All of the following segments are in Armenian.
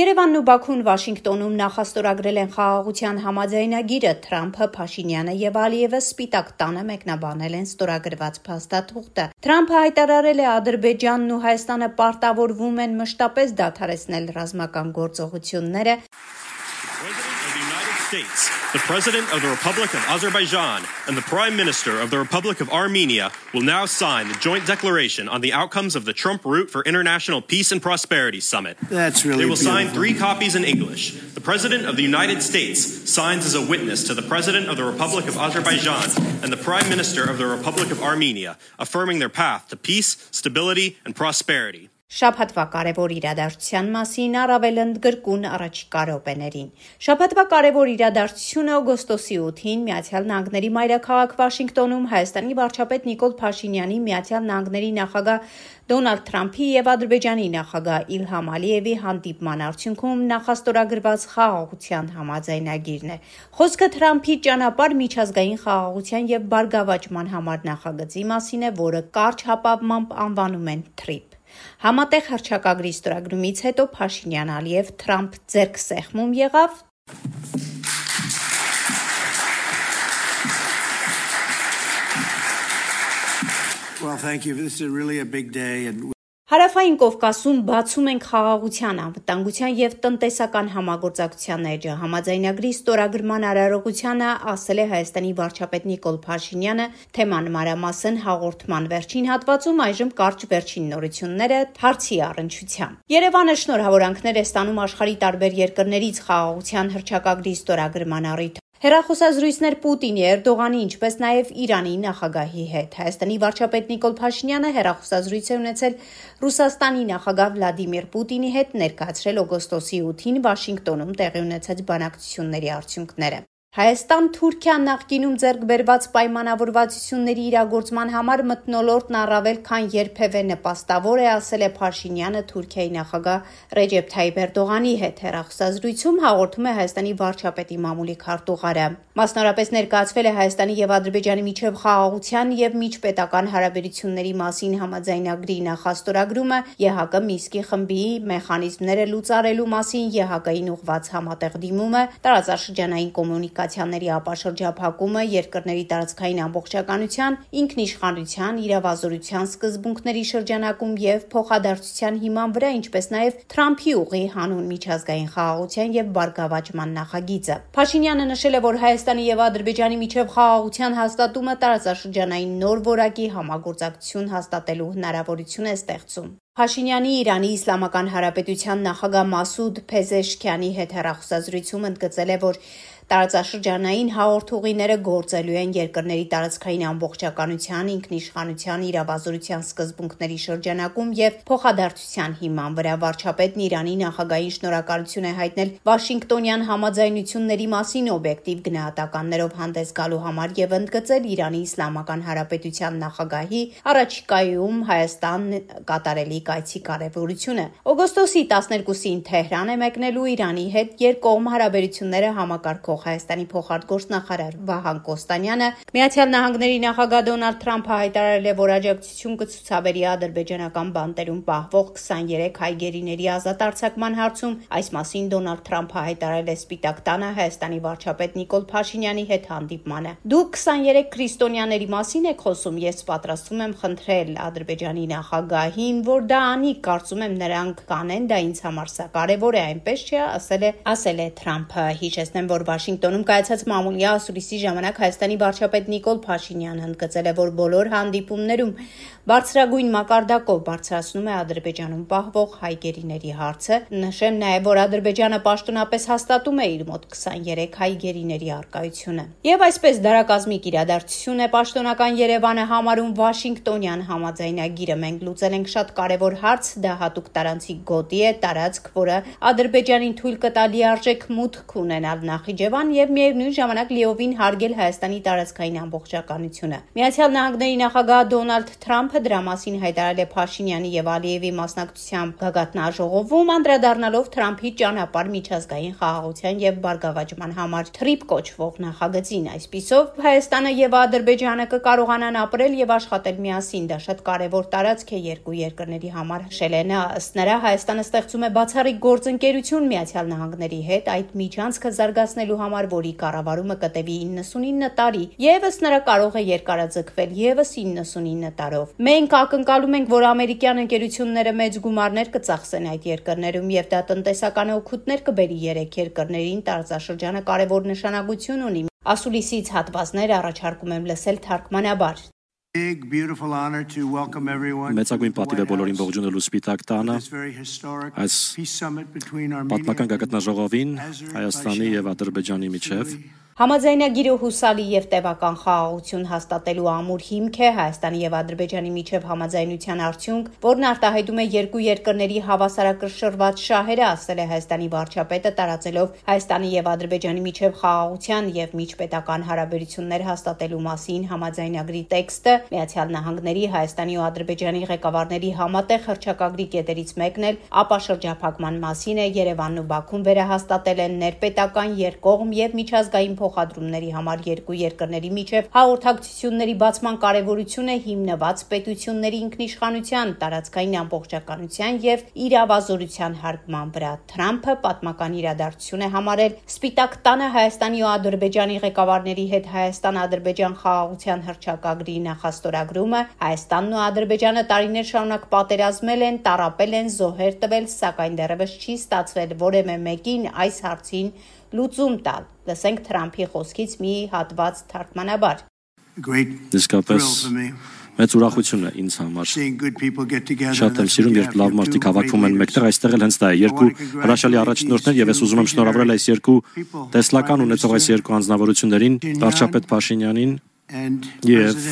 Երևանն ու Բաքուն Վաշինգտոնում նախաստորագրել են խաղաղության համաձայնագիրը, Թրամփը, Փաշինյանը եւ Ալիևը Սպիտակ տանը մեկնաբանել են ստորագրված փաստաթուղթը։ Թրամփը հայտարարել է Ադրբեջանն ու Հայաստանը պարտավորվում են մշտապես դադարեցնել ռազմական գործողությունները։ The President of the Republic of Azerbaijan and the Prime Minister of the Republic of Armenia will now sign the joint declaration on the outcomes of the Trump Route for International Peace and Prosperity Summit. That's really They will beautiful. sign 3 copies in English. The President of the United States signs as a witness to the President of the Republic of Azerbaijan and the Prime Minister of the Republic of Armenia, affirming their path to peace, stability, and prosperity. Շաբաթվա կարևոր իրադարձության մասին առավել ընդգրկուն առաջիկա րոպեներին։ Շաբաթվա կարևոր իրադարձությունը օգոստոսի 8-ին Միացյալ Նահանգների մայրաքաղաք Վաշինգտոնում Հայաստանի վարչապետ Նիկոլ Փաշինյանի, Միացյալ Նահանգների նախագահ Դոնալդ Թրամփի եւ Ադրբեջանի նախագահ Իլհամ Ալիևի հանդիպման արդյունքում նախաստորագրված խաղաղության համաձայնագիրն է։ Խոսքը Թրամփի ճանապարհ միջազգային խաղաղության եւ բարգավաճման համար նախագծի մասին է, որը կարճ հապավմամբ անվանում են TRIP։ Համատեղ հռչակագրի ստորագրումից հետո Փաշինյան-Ալիև Թրամփ ձեռքսեղմում եղավ։ Well, thank you. This is really a big day and Հարավային Կովկասում բացում ենք խաղաղության, անվտանգության եւ տնտեսական համագործակցության էջը։ Համաձայնագրի ստորագրման արարողությանը ասել է Հայաստանի վարչապետ Նիկոլ Փաշինյանը, թեման մանրամասն հաղորդման վերջին հատվածում այժմ կարճ վերջին նորությունները հարցի առնչությամբ։ Երևանը շնորհավորանքներ է ստանում աշխարհի տարբեր երկրներից խաղաղության հռչակագրի ստորագրման առիթ։ Հեռախոսազրույցներ Պուտինի, Էրդողանի, ինչպես նաև Իրանի նախագահի հետ։ Հայաստանի վարչապետ Նիկոլ Փաշինյանը հեռախոսազրույց է ունեցել Ռուսաստանի նախագահ Վլադիմիր Պուտինի հետ, ներկայացրել օգոստոսի 8-ին Վաշինգտոնում տեղի ունեցած բանակցությունների արդյունքները։ Հայաստան-Թուրքիա նախկինում ձեռք բերված պայմանավորվածությունների իրագործման համար մթնոլորտն առավել քան երբևէ նպաստավոր է, ասել է Փաշինյանը Թուրքիայի նախագահ Ռեջեփ Թայիփ Էրդողանի հետ հեռախոսազրույցում, հաղորդում է Հայաստանի վարչապետի մամուլի քարտուղարը։ Մասնավորապես ներկայացվել է Հայաստանի եւ Ադրբեջանի միջև խաղաղության եւ միջպետական հարաբերությունների մասին համաձայնագրի նախաստորագրումը, ԵՀԿ Մինսկի խմբի մեխանիզմները լուծարելու մասին ԵՀԿ-ին ուղղված համատեղ դիմումը, տարածաշրջանային կոմունիկացիաների ապաշրջափակումը, երկրների տարածքային ամբողջականության, ինքնիշխանության, իրավազորության սկզբունքների շրջանակում եւ փոխադարձության հիման վրա, ինչպես նաեւ Թրամփի ուղի հանուն միջազգային խաղաղության եւ բարգավաճման նախագիծը։ Փաշինյանը նշել է, որ Հայաստանի եւ Ադրբեջանի միջև խաղաղության հաստատումը տարածաշրջանային նոր որակի համագործակցություն հաստատելու հնարավորություն է ստեղծում։ Փաշինյանի Իրանի Իսլամական Հանրապետության նախագահ Մասուդ Փեզեշքյանի հետ հեռախոսազրույցում ընդգծել է, որ տարածաշրջանային հաղորդուղիները գործելու են երկրների տարածքային ամբողջականության, ինքնիշխանության, իրավազորության սկզբունքների շրջանակում եւ փոխադարձության հիման վրա։ Վարչապետն Իրանի նախագահին շնորհակալություն է հայտնել Վաշինգտոնյան համաձայնությունների մասին օբյեկտիվ գնահատականներով հանդես գալու համար եւ ընդգծել Իրանի Իսլամական Հանրապետության նախագահի առաջիկայում Հայաստան կատարելի կայցի կարևորությունը։ Օգոստոսի 12-ին Թեհրան է մեկնելու Իրանի հետ երկկողմ հարաբերությունները համակարգող Հայաստանի փոխարտգործնախարար Վահան Կոստանյանը, Միացյալ Նահանգների նախագահ Դոնալդ Թրամփը հայտարարել է, որ աջակցություն կցուցաբերի ադրբեջանական բանտերում պահվող 23 հայ գերիների ազատ արձակման հարցում։ Այս մասին Դոնալդ Թրամփը հայտարարել է Սպիտակ տանը Հայաստանի վարչապետ Նիկոլ Փաշինյանի հետ հանդիպմանը։ Դուք 23 քրիստոնյաների մասին եք խոսում, ես պատրաստվում եմ խնդրել Ադրբեջանի նախագահին, որ դա անի, կարծում եմ նրանք կանեն, դա ինձ համար սա կարևոր է, այնպես չէ, ասել է Թրամփը։ Հիշեցնեմ, որ Վաշինգտոնում կայացած մամուլի ասուլիսի ժամանակ Հայաստանի վարչապետ Նիկոլ Փաշինյանը ընդգծել է, որ բոլոր հանդիպումներում բարձրագույն մակարդակով բարձրացնում է Ադրբեջանում պահվող հայ գերիների հարցը։ Նշեմ նաև, որ Ադրբեջանը պաշտոնապես հաստատում է իր մոտ 23 հայ գերիների առկայությունը։ Եվ այսպես դարակազմիկ իրադարձություն է պաշտոնական Երևանը համարում Վաշինգտոնյան համաձայնագիրը։ Մենք լուծել ենք շատ կարևոր հարց, դա հատուկ տարանցիկ գոտի է, տարածք, որը Ադրբեջանին թույլ կտա լիարժեք մուտք ունենալ Նախիջև Ռաջաբան եւ միևնույն ժամանակ լիովին հարգել Հայաստանի տարածքային ամբողջականությունը։ Միացյալ Նահանգների նախագահ Դոնալդ Թրամփը դրա մասին հայտարարել է Փաշինյանի եւ Ալիևի մասնակցությամբ գագաթնաժողովում, անդրադառնալով Թրամփի ճանապարհ միջազգային խաղաղության եւ բարգավաճման համար TRIP կոչվող նախագծին։ Այսպիսով Հայաստանը եւ Ադրբեջանը կկարողանան ապրել եւ աշխատել միասին։ Դա շատ կարեւոր տարածք է երկու երկրների համար, հիշել է նա։ Ըստ նրա, Հայաստանը ստեղծում է բացառիկ գործընկերություն Միացյալ Նահանգների հետ այդ միջանցքը զարգացնելու համար, որի կառավարումը կտևի 99 տարի, եւ ըստ նրա կարող է երկարաձգվել եւս 99 տարով։ Մենք ակնկալում ենք, որ ամերիկյան ընկերությունները մեծ գումարներ կծախսեն այդ երկրներում եւ դա տնտեսական օգուտներ կբերի երեք երկրներին։ Տարածաշրջանը կարեւոր նշանակություն ունի։ Ասուլիսից հատվածներ առաջարկում եմ լսել թարգմանաբար։ Big, beautiful honor to welcome everyone. Մեծագույն պատիվ է բոլորին ողջունելու Սպիտակ տանը այս պատմական գագաթնաժողովին Հայաստանի եւ Ադրբեջանի միջև։ Համաձայնագիրը հուսալի եւ տևական խաղաղություն հաստատելու ամուր հիմք է Հայաստանի եւ Ադրբեջանի միջև համաձայնության արդյունք, որն արտահայտում է երկու երկրների հավասարակշռված շահերը, ասել է Հայաստանի վարչապետը, տարածելով Հայաստանի եւ Ադրբեջանի միջև խաղաղության եւ միջպետական հարաբերություններ հաստատելու մասին համաձայնագրի տեքստը Միացյալ Նահանգների, Հայաստանի ու Ադրբեջանի ղեկավարների համատեղ հռչակագրի կետերից մեկն էլ ապաշրջափակման մասին է։ Երևանն ու Բաքուն վերահաստատել են ներպետական երկկողմ եւ միջազգային փոխադրումների համար երկու երկրների միջև հաղորդակցությունների բացման կարևորությունը հիմնված պետությունների ինքնիշխանության, տարածքային ամբողջականության եւ իրավազորության հարգման վրա։ Թրամփը պատմական իրադարձություն է համարել Սպիտակ տանը Հայաստանի ու Ադրբեջանի ղեկավարների հետ Հայաստան-Ադրբեջան խաղաղության հռչակագրի նախաստորագրումը։ Հայաստանն ու Ադրբեջանը տարիներ շարունակ պատերազմել են, տառապել են, զոհեր տվել, սակայն դեռևս չի ստացվել որևէ մեկին այս հարցին լուծում տալ։ Լսենք Թրամփի խոսքից մի հատված թարգմանաբար։ Իսկապես մեծ ուրախություն է ինձ համար։ Շատ եմ սիրում, երբ լավ մարդիկ հավաքվում են մեկտեղ, այստեղ էլ հենց դա է։ Երկու հրաշալի առաջնորդներ եւ ես ուզում եմ շնորհավորել այս երկու տեսլական ունեցող այս երկու անձնավորություններին, վարչապետ Փաշինյանին եւ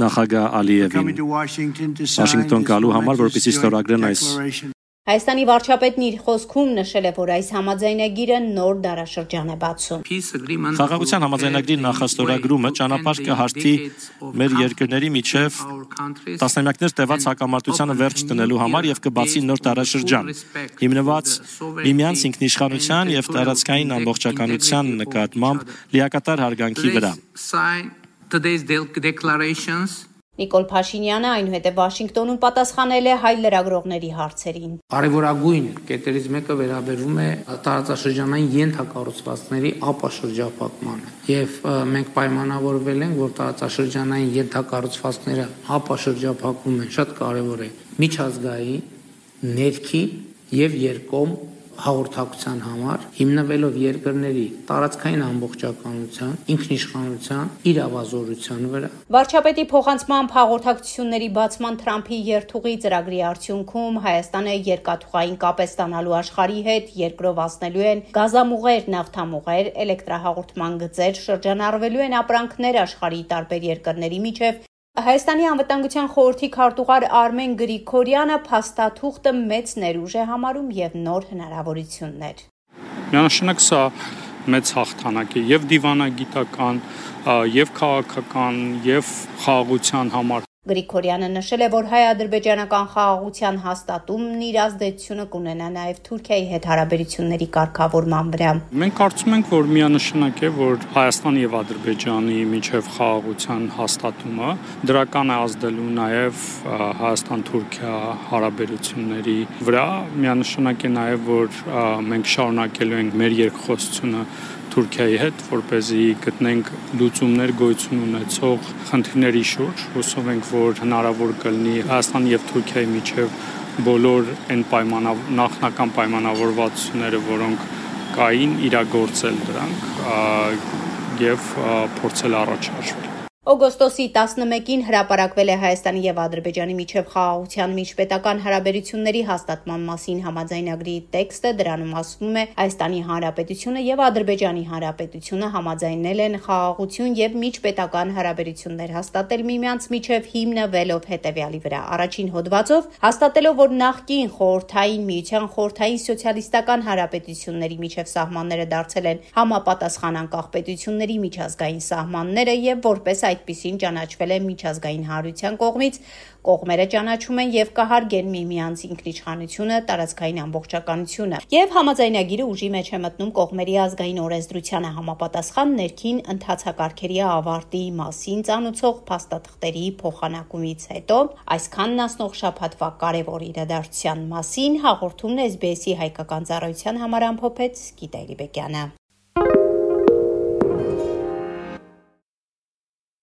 նախագահ Ալիևին Վաշինգտոն գալու համար, որպեսզի ստորագրեն այս։ Հայաստանի վարչապետն իր խոսքում նշել է, որ այս համաձայնագիրը նոր դարաշրջան է բացում։ Խաղաղության համաձայնագրի նախաստորագրումը ճանապարհ կհարթի մեր երկրների միջև տասնամյակներ տևած հակամարտությանը վերջ տնելու համար եւ կբացի նոր դարաշրջան, հիմնված միմյանց ինքնիշխանության եւ տարածքային ամբողջականության նկատմամբ լիակատար հարգանքի վրա։ Նիկոլ Փաշինյանը այնուհետև Վաշինգտոնում պատասխանել է հայ լրագրողների հարցերին։ Կարևորագույն կետերից մեկը վերաբերում է տարածաշրջանային ենթակառուցվածքների ապաշրջափակմանը։ Եվ մենք պայմանավորվել ենք, որ տարածաշրջանային ենթակառուցվածքները ապաշրջափակում են շատ կարևոր է միջազգային, ներքին եւ երկկողմ հաղորդակցության համար, հիմնվելով երկրների տարածքային ամբողջականության, ինքնիշխանության, իրավազորության վրա։ Վարչապետի փոխանցմամբ հաղորդակցությունների բացման Թրամփի երթուղի ծրագրի արդյունքում Հայաստանը երկաթուղային կապ է ստանալու աշխարհի հետ, երկրով անցնելու են գազամուղեր, նավթամուղեր, էլեկտրահաղորդման գծեր, շրջանառվելու են ապրանքներ աշխարհի տարբեր երկրների միջև։ Հայաստանի անվտանգության խորհրդի քարտուղար Արմեն Գրիգորյանը փաստաթուղթը մեծ ներուժ է համարում եւ նոր հնարավորություններ։ Միանշանակ սա մեծ հաղթանակ է եւ դիվանագիտական, եւ քաղաքական, եւ խաղաղության համար։ Գրիգորյանը նշել է, որ հայ-ադրբեջանական խաղաղության հաստատումն իր ազդեցությունը կունենա նաև Թուրքիայի հետ հարաբերությունների կարգավորման վրա։ Մենք կարծում ենք, որ միանշանակ է, որ Հայաստանի եւ Ադրբեջանի միջև խաղաղության հաստատումը դրական է ազդելու նաև Հայաստան-Թուրքիա հարաբերությունների վրա։ Միանշանակ է նաև, որ մենք շարունակելու ենք մեր երկխոսությունը Թուրքիայի հետ, որպեսզի գտնենք լուծումներ գոյություն ունեցող խնդիրների շուրջ։ Հուսով ենք, որ հնարավոր կլինի Հայաստանի եւ Թուրքիայի միջև բոլոր այն նախնական պայմանավորվածությունները, որոնք կային, իրագործել դրանք եւ փորձել առաջ հաշվել։ Օգոստոսի 11-ին հրապարակվել է Հայաստանի եւ Ադրբեջանի միջև խաղաղության միջպետական հարաբերությունների հաստատման մասին համաձայնագրի տեքստը, դրանում ասվում է Հայաստանի Հանրապետությունը եւ Ադրբեջանի Հանրապետությունը համաձայնել են խաղաղություն եւ միջպետական հարաբերություններ հաստատել միմյանց միջև հիմնվելով հետեւյալի վրա. Առաջին հոդվածով հաստատելով, որ նախկին խորհրդային միության խորհրդային սոցիալիստական հանրապետությունների միջև սահմանները դարձել են համապատասխան անկախ պետությունների միջազգային սահմանները եւ որպես այդպիսին ճանաչվել է միջազգային հանրության կողմից, կողմերը ճանաչում են եւ կհարգեն միմյանց ինքնիշխանությունը, տարածքային ամբողջականությունը եւ համաձայնագիրը ուժի մեջ է մտնում կողմերի ազգային օրենսդրությանը համապատասխան ներքին ընթացակարգերի ավարտի մասին ծանուցող փաստաթղթերի փոխանակումից հետո այսքանն ասնող շաբաթվա կարևոր իրադարձության մասին հաղորդումն SBS-ի հայկական ծառայության համար ամփոփեց Գիտալի Բեկյանը։